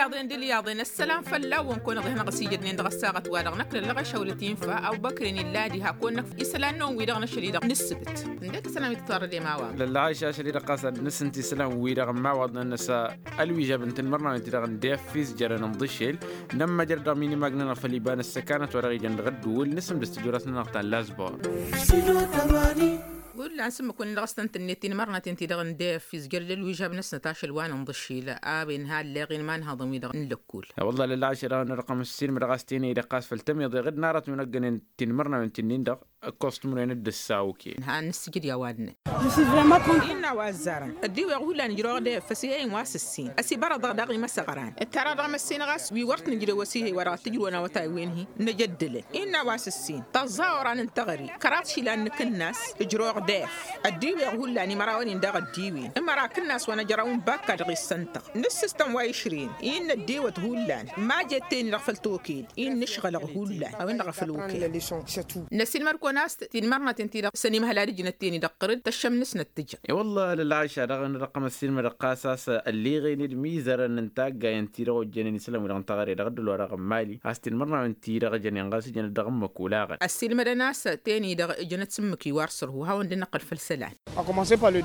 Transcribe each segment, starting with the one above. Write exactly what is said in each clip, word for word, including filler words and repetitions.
Iḍen d-ilyaḍen ăssălam fălla-wăn kăwăn-iḍehnăɣ s-ijădnen dăɣ-ăssaɣăt-wa-dăɣ năkk lăllăɣ ašăwlăt infa. Ăbubăkr-in illa diha kăwăn-năkf isălan-năwăn-wi-dăɣ n-ašăl-i-dăɣ n-ǝssǝbǝt. Ǝndek isălan wi tǝtwărrăd i-imawaḍăn. Lăllăɣ ašăl-i-dăɣ ɣas ad-nǝsǝnta isălan-wi-dăɣ n-imawaḍăn-năsăn ălwižab n-tinmărnawen-ti-dăɣ n-def izjărăn n-iḍǝšel. Nămmăjrăd dăɣ-minimag-nănăɣ făll-iba n-ăssăkanăt wa dăɣ-ijăn dăɣ-ăddǝwǝl nǝsǝmdǝs tijorăt-nănăɣ ta n-lazbor. Hullan s-ǝmmǝk-wǝnnin dăɣ-s tăn-tǝnnet tinmărnaten-ti-dăɣ n-def izjărăd ălwižab-năsnăt ašăl wa n-inḍǝšel. A-wen ha ălleɣ-in imanhăḍăn-wi-dăɣ n-lăkkul. Wălla lălla ašăl-dăɣ n-răqăm ǝssin mădăɣ-as tenăy dăɣ-kas făll-tămiḍe ɣǝd n-aratăn wi n-ăggănen tinmărnawen-ti-nin-dăɣ. Ăkkoẓ timǝrwen d-ǝssaw ken. Ha n-ǝssǝjǝd i-a-wa dd-năn. Innă a-wa ăzzarăn ăddiweɣ hullan ǝjrăwăɣ def ăsihăyăn wa s-ǝssin ăsibărăḍăɣ daɣ imăsăɣran. Ǝttarăɣ dăɣ-măssinăɣ a-s wi wăr t-nǝjrăw ăsihăy wa dăɣ-tǝjrǝwăn awătay-wen-hi. Năjăddǝlăn innă a-wa s-ǝssin tăẓẓa oran n-teɣăre. Kăraḍ išilan n-akǝnnas ǝjrăwăɣ def. Ăddiweɣ hullan imărawăn-in daɣ ăddiwen ǝmăra akǝnnas wa năjrăw n-bakka dăɣ-issăn-tăɣ. Nǝssǝstăn wa išrǝyăn i n-năddiwăt hullan. Majet ten-i-dăɣ făll-toked i n-nǝšɣălăɣ hullan a-wen-dăɣ a făl okăyăn. Năsilmăd-kăwăn a-s tinmărnaten-ti-dăɣ săn imhăl ad-ǝjnăt ten-i-dăɣ ɣǝrǝd tăššăm-năsnăt tǝjăn. I-wălla lălɣayša daɣ n-răqqăm ăssiilmădăɣ ɣas a-s ălleɣen d-imizărăn n-taggayăn-ti-dăɣ ojjănen isălan-wi-dăɣ n-taɣăre dăɣ-dd-ălwa dăɣ-ămmali a-s tinmărnawen-ti-dăɣ jănen ɣas ǝjănăt dăɣ-ǝmmǝk olaɣăn. Ăssiilmădăn a-s ten-i-dăɣ ǝjănăt s-ǝmmǝk iwar sărhu hawăn-dd-năqqǝl făll-isălan.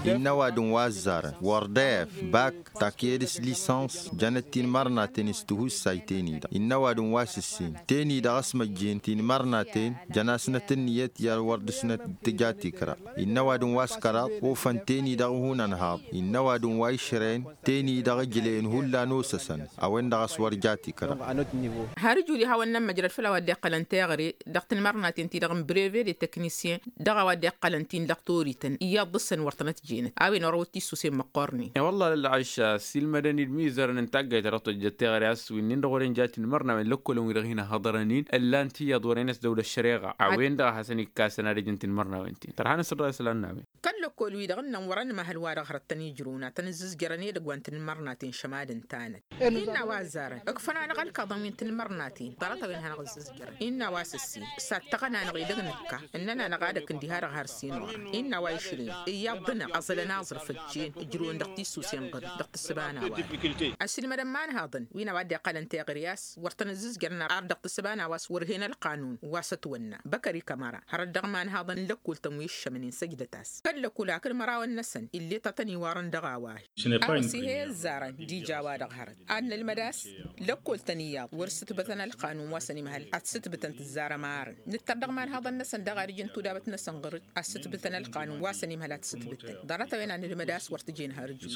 Innă ăwadǝm wa ǝzzarăn wăr def bak taked s-lisăns jănăt tinmărnaten s-tihussay ten-i-dăɣ innă ăwadǝm wa s-ǝssin ten-i-dăɣ ăsmăjjen tinmărnaten jăn-asnăt ǝnniyăt i-ad-wăr dăr-snăt tǝja tikra. Innă ăwadǝm wa s-kăraḍ ofăn ten-i-dăɣ ihun ănhaḍ innă ăwadǝm wa išrăyăn ten-i-dăɣ ǝjlăyăn hullan osăsăn. A-wen-dăɣ a-s wăr ja tikra. Har ǝjud ihawăn-nămmăjrăd făll-a-wa dd-iqqălăn teɣăre dăɣ-tinmărnaten-ti-dăɣ n-breve de teknisyen dăɣ-a-wa dd-iqqălăn ti n-lăqtorităn iyyăḍ dăr-săn wăr tănăt jenăt a-wen orăwăt tissusen măqqornen. I-wălla lălɣayš ăssiilmădăn-dd imizărăn n-taggayt ta dăɣ-tojjăt teɣăre a-s winnin-dăɣ wăren ja tinmărnawen lăkkolăn-wi-dăɣ hin-ăhhăḍărăn-in ǝllan-t iyyăḍ wăren-s dăwlăt šăreɣa. A-wen-dăɣ a hasăn-ikkasăn ad-ǝjǝn tinmărnawen-tin tărha n-asăr dăɣ-isălan n-a-wen. Kăl-lăkkol-wi-dăɣ ǝnnăn wăr-ănmăhăl wa-dăɣ hărăt tăn-ijrǝwna tăn-ǝzzǝzjărăn edăgg wa n-tinmărnaten šămad ǝnta-năt. Innă a-wa ăzzarăn ǝkfăn-anăɣ ălkaḍăn wi n-tinmărnaten ḍarăt-a-wen hanăɣ-ǝzzǝzjărăn. Innă a-wa s-ǝssin s-ad-tăɣăn-anăɣ edăgg nǝkka ǝnnăn-anăɣ ad-ăkk ǝndiha dăɣ-har s-inwăɣăn. Innă a-wa išrǝyăn iyyăḍ dăɣ-năɣ ăẓălăn aẓrǝf ăjjeen ǝjrǝwăn dăɣ-tisusen ɣǝr dăɣ-tǝssǝba n-a-wa-dăɣ. Ăssiilmădăn imanhaḍăn wi n-a-wa dd-iqqălăn teɣăre a-s wăr tăn-ǝzzǝzjărăn ar dăɣ-tǝssǝba n-a-wa s-wăr hen ălqanun wa s-ătwănna. Băkăr ikămăra hărăt dăɣ-imanhaḍăn n-lăkkol-tăn wi ǝššămnen săjdăt-as kăl-lăkkol hakd imărawăn-năsăn ill'-e ta tăn-iwarăn dăɣ-a-wa-hi. Ăwăsihăy ăzzarăn d-ija wa-dăɣ hărăt ad-nălmăd a-s lăkkol-tăn iyyăḍ wăr-sǝtbătăn ălqanun wa săn imhăl ad-sǝtbǝtăn tǝzzarăm arăn. Nǝttăr dăɣ-imanhaḍăn-năsăn dăɣ-ad-ǝjǝn tudabăt-năsăn ɣur-dd ad-sǝtbǝtăn ălqanun wa săn imhăl ad-t-sǝtbǝtăn ḍarăt-a-wen ad-nǝlmăd a-s wăr tǝjen har ǝjǝj.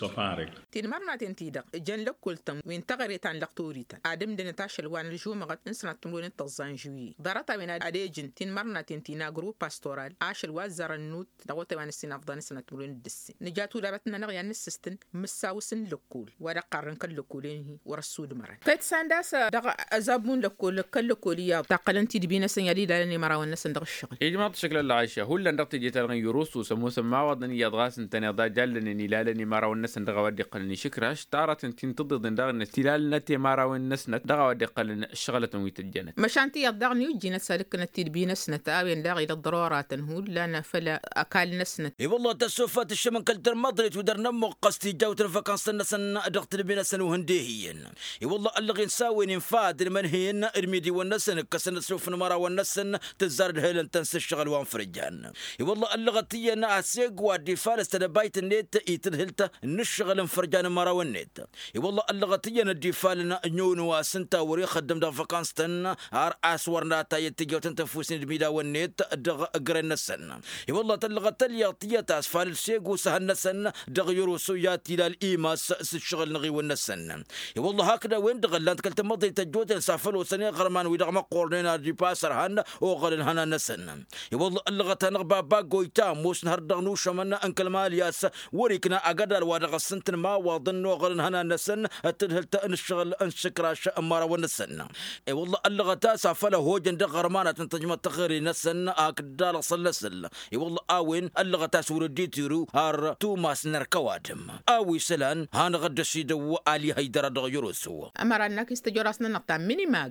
Tinmărnaten-ti-dăɣ jăn lăkkol-tăn wi n-teɣăre ta n-lăqtorităn ad-ǝmdǝnăt ašăl wa n-ălžumăɣăt n-sănat timǝrwen d-tăẓẓa n-žuwye. Ḍarăt-a-wen ad-ejǝn tinmărnaten ti n-agro pastoral ašăl wa ăzzarăn nut dăɣ-otay wa n-ǝssin afḍăn n-sănat timǝrwen d-ǝssin nǝja tudabăt-nănăɣ i-ad-nǝssǝstǝn mǝssawǝs n-lăkkol wa dăɣ-qarrăn kăl-lăkkolen-hi wăr-ăssudmărăn. Kăy-t sanda a-s dăɣ-azabbu n-lăkkol kăl-lăkkol iyyăḍ taqqălăn-t-dd bi-năsăn i-ad-ilalăn imărawăn-năsăn dăɣ-ǝššăɣǝl. Ijmaḍ-t šăkla ălɣayša hullan dăɣ-teje-ta-dăɣ n-yurus osăm-osăm imawaḍăn iyyăḍ ɣas ǝntăneḍ a jallănen ilalăn imărawăn-năsăn dăɣ-a-wa dd-iqqălăn išǝkraš taratăn ti n-tǝḍiḍen daɣ-net tilalnăt i-imărawăn-năsnăt dăɣ-a-wa dd-iqqălăn ǝššăɣlătăn wi tăjjănăt. Măšan tiyyăḍ daɣ n-ijjinăt s-ad-ǝkkǝnăt-dd bi-năsnăt a-wen daɣ ila ăḍḍărora-tăn hullan făll-ăkall-năsnăt. I-wălla tăssofa tǝššăm n-kăl-tărmăḍrit wi dăr-nămmuɣ ɣas tijjawt n-văkansăn-năsăn dăɣ-tǝdbi-năsăn uhǝndehiyăn. I-wălla ăllăɣen s-a-wen infa d-ilmănhăyăn d-imidǝwăn-năsăn ǝkkăsăn ăssof n-imărawăn-năsăn tǝzzar d-helăn-tăn s-ǝššăɣǝl wa n-fărjan. I-wălla ăllăɣăt iyyăn aseg wa dd-ifalăs tedăbayt-net i-tǝdhǝlt n-ǝššăɣǝl n-fărjan n-imărawăn-net. I-wălla ăllăɣăt iyyăn dd-ifalăn ǝnyon wa s-ǝnta wăr-ixăddăm dăɣ-văkans-tăn har a-s wăr natayăt tijawt n-tănfus n-idmidawăn-net dăɣ-ǝgren-năsăn. I-wălla tăllăɣăt tălyaḍt tiyyăt a-s falăl segu s-ehăn-năsăn dăɣ-yărusu i-ad-t-ilal imas s-ǝššăɣǝl n-aɣiwăn-năsăn. I-wălla hakd a-wen-dăɣ ǝllan-t kăl-tamăḍe tăjjoten s-afăl osăn iɣărman wi-dăɣ măqqornen ad-ipas ărhan oɣăl n-ihănan-năsăn. I-wălla ăllăɣăt-anăɣ baba goyta ămoosăn hărăt dăɣ-inušămăn n-kăl-malyas wăr-ikna agădal wa dăɣ-s ǝntăn imawaḍăn n-oɣăl n-ihănan-năsăn d-tǝdhǝlt n-ǝššăɣǝl n-išǝkraš n-imărawăn-năsăn. I-wălla ăllăɣăt a-s afăl ăhojăn dăɣ-iɣărmanat n-tăjmăḍt taɣăre-năsăn. Akd dalăɣ săllăsăl i-wălla a-wen ăllăɣăt a-s wăr-dd-itiru har tumas n-ărkăwadăm a-wa isălan hanăɣ-dd-ăsidăw ali hăydăra dăɣ-yăroso. Ămăra n-akis tăjorasnănăɣ ta n-minimag.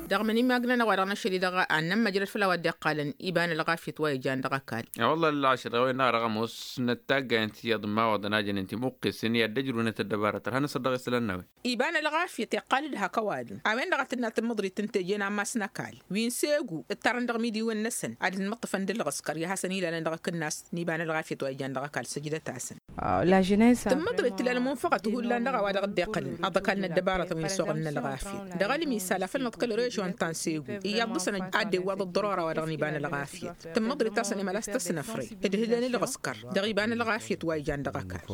Dăɣ-minimag-nănăɣ wa dăɣ-năšăli dăɣ-annămmăjrăd făll-a-wa dd-iqqalăn iba n-ălɣafyăt wa ijan dăɣ-ăkall. I-wălla ălɣašăr ɣawăyăn-dăɣ a dăɣ-ămoos n-ăttaggayen tiyyăḍ n-imawaḍăn a jănen timuqqesen i-ad-dd-ăjrăwnăt ăddăbarăt ărhan n-asăr dăɣ-isălan n-a-wen. Iba n-ălɣafyăt iqqal-dd hak ăwadǝm a-wen-dăɣ a tǝnna tǝmmǝḍrit n-teje n-ammas n-ăkall wi n-segu ǝttarăn dăɣ-imidiwen-năsăn ad-dd-mǝṭṭǝfăn d-ǝlɣǝskăr i-ad-hasăn-ilalăn dăɣ-akǝnnas n-iba n-ălɣafyăt wa ijan dăɣ-ăkall săjdăt-asăn. Tǝmmǝḍrit tǝla n-ămunfăɣăt hullan dăɣ-a-wa dăɣ-dd-iqqălăn aḍăkal n-ăddăbarătăn wi n-ăsoɣăl n-ălɣafyăt dăɣ-ălmisal a făl nǝḍkăl režon ta n-segu iyyăḍ dăɣ-săn ad-dd-iwwaḍ ăḍḍărora wa dăɣ-n iba n-ălɣafyăt. Tǝmmǝḍrit-asăn emălas tăsnăfre d-hǝlăn ǝlɣǝskăr dăɣ-iba n-ălɣafyăt wa ijan dăɣ-ăkall.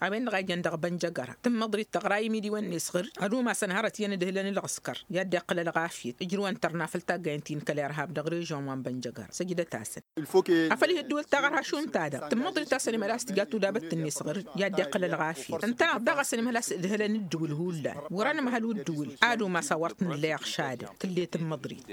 A-wen-dăɣ a ijăn dăɣ-bănjăgăra tǝmmăḍrit tăɣra i-imidiwăn-net ɣǝr ad-umasăn hărăt iyyăn d-hǝlăn ǝlɣǝskăr i-ad-dd-iqqǝl ălɣafyăt ǝjrǝwăn tărna făll-taggayen ti n-kăl-irhab dăɣ-režon wa n-bănjăgăra săjdăt-asăn. Afăl ih' ǝddǝwǝl taɣărha šund-ta-dăɣ tǝmmăḍrit-asăn emălas tǝja tudabăt-net ɣǝr i-ad-dd-iqqǝl ălɣafyăt ǝntăneḍ daɣ a-s enămhăl a-s ǝdhǝlăn ǝddǝwǝl hullan wăr-anămhăl u-ǝddǝwǝl ad-umas a wăr t-nǝlla iɣšadăn tǝlle tǝmmăḍrit.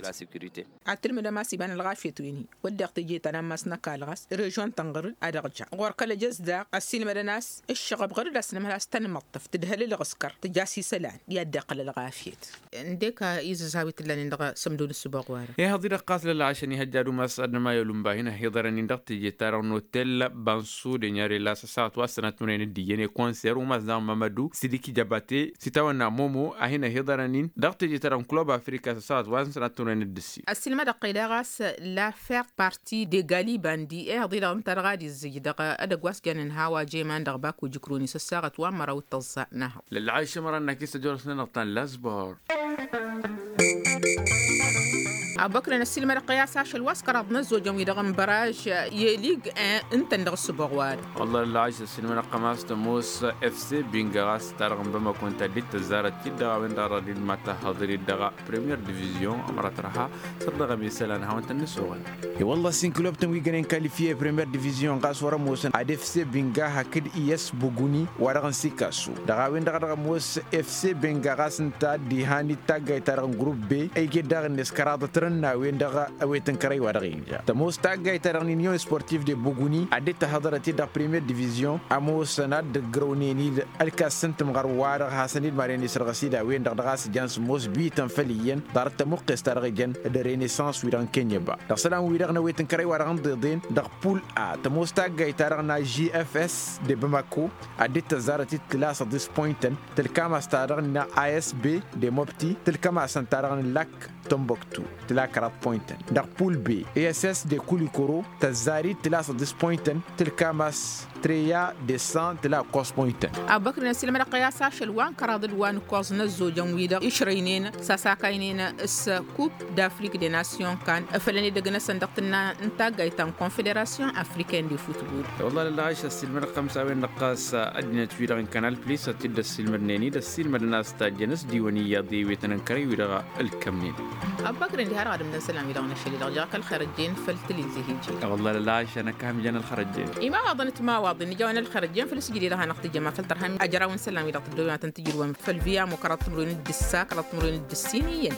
Ad-tǝlmǝdăm a-s iba n-ălɣafyăt wen-hi wădden teje ta n-ammas n-ăkall ɣas režon-tăn ɣǝr-dd ad-ăɣja ɣur-kăl-ăjăs daɣ ăssiilmădăn a-s ǝššăɣăb ɣǝr-dd a-s nǝmhăl a-s tănmăṭṭăf tǝdhăl ǝlɣǝskăr tǝja s-isălan i-ad-dd-iqqǝl ălɣafyăt. Ǝndek izǝzhaw-i t-ǝllanen dăɣ-sămdo n-ǝssǝboɣ-wa-dăɣ. Ihăḍ-i-dăɣ ɣas lălɣašăn ihăjja ad-umas ad-nǝmayăl unba hin-ăhiḍărăn-in dăɣ-teje-ta-dăɣ n-otel bansu denyăre la s-ăssaɣăt wa s-sănat n-unăyăn d-iyyăn i-konser umas daɣ mămădu sidiki jăbate s-itawănna momo a hin-ăhiḍărăn-in dăɣ-teje-ta-dăɣ n-kulub afrika s-ăssaɣăt wa s-sănat n-unăyăn d-ǝssin. Ăssiilmădăɣ-tăy daɣ a-s la fert parti de galibandi ihăḍ-i-dăɣ ǝnta dăɣ-ad-izzǝj dăɣ-edăgg wa s-jannen hawa jeman dăɣ-baku jǝkroni s-ăssaɣăt wa n-măraw d-tăẓẓa n-ehăḍ. Lălɣayš ămăra n-akis ăjorăsnănăɣ ta n-lasbor. Abăkrăn ăssiilmădăɣ-tăy a-s ašăl wa s-kăraḍ n-ăzzojăn-wi-dăɣ n-băraj i-lig ǝntăn dăɣ-ǝssǝboɣ-wa-dăɣ. Wălla lălɣayš ăssiilmădăɣ-tăy a-s tămoos fc binga ɣas ta-dăɣ n-bamako ǝnta dd-tăzzarăt-t-dd dăɣ-a-wen-dăɣ a dăɣ-dd-mad-tăhhăḍăr-dd dăɣ-premier divizyon ămăra tărha săr-dăɣ ămesălan ad-hawăn-tăn-nǝsoɣăn. I-wălla-s inkulub-tăn wi gănen kalifiye premier divizyon ɣas wăr-ămoosăn ad-efse benga hakd iyăs buguni wa-dăɣ n-sikasu dăɣ-a-wen-dăɣ a dăɣ-ămoos efse benga ɣas ǝnta a dd-ihan d-taggayt-ta-dăɣ n-grup be ăyget daɣ-net kăraḍăt rǝnnawen dăɣ-awet n-kărăy wa dăɣ-inja tămoos taggayt-ta-dăɣ n-inyon sportif de buguni a dd-tăhhăḍărăt-dd dăɣ-premier divizyon ămoosăn ad-dd-ǝgrăwnen-dd ălkas n-tǝmɣăr wa-dăɣ hasăn-dd maren isărɣăs-dd a-wen-dăɣ dăɣ-a-s jan sǝmmos bităn făll-iyyăn ḍarăt tămuqqes-ta-dăɣ ijăn d-renesans-wi-dăɣ n-kenyăba dăɣ-isălan-wi-dăɣ n-awet n-kărăy wa dăɣ-n ḍeḍen dăɣ-pul a tămoos taggayt-ta-dăɣ n-a g f s de bamako a dd-tăzzarăt-dd tǝla săḍis poyntăn tǝlkam-as ta-dăɣ n-a s b de mobti tǝlkam-asăn ta-dăɣ n-lak tămboktu tǝla kăraḍ poyntăn dăɣ-pul be s s de kulikoro tăzzar-dd tǝla săḍis poyntăn tǝlkam-as treya de san tǝla ǝkkoẓ poyntăn. Abăkr n-ăssiilmădăɣ-tăy a-s ašăl wa n-kăraḍ d-wa n-ǝkkoẓ n-ăzzojăn-wi-dăɣ išrăynen s-a-s akaynen s-kup d-afrik de nasyon kan făll-ănedăgg-năsăn dăɣ-tǝnna n-taggayt ta n-konfederasyon afriken de futbol. Wălla lălɣayš ăssiilmădăɣ-tăy a-s a-wen-dăɣ ɣas ăddinăt-wi-dăɣ n-kanal plis a t-dd-ăssiilmădnen-dd ăssiilmădăn a-s tajjăn s-diwăn iyyăḍ i-awet n-enkărăy-wi-dăɣ ǝlkămnen. Abăkr n-diha-dăɣ ad-ǝmdăn isălan wi-dăɣ n-ašăl-i-dăɣ jăɣ-k ălxer ăjjeen făll-tilǝzzeh ije. Wălla lălɣayš a năkk a ham-ijăn ălxer ăjjeen. Imawaḍăn d-timawaḍin nǝjawăn ălxer ăjjeen făll-asǝjded ad-hanăɣ-tǝjjăm afăl tărhăm ajăraw n-isălan-wi-dăɣ tǝddobem ad-tăn-tǝjrǝwăm făll-viyam u-kăraḍ timǝrwen d-ǝssa kăraḍ timǝrwen d-ǝssin iyyăn.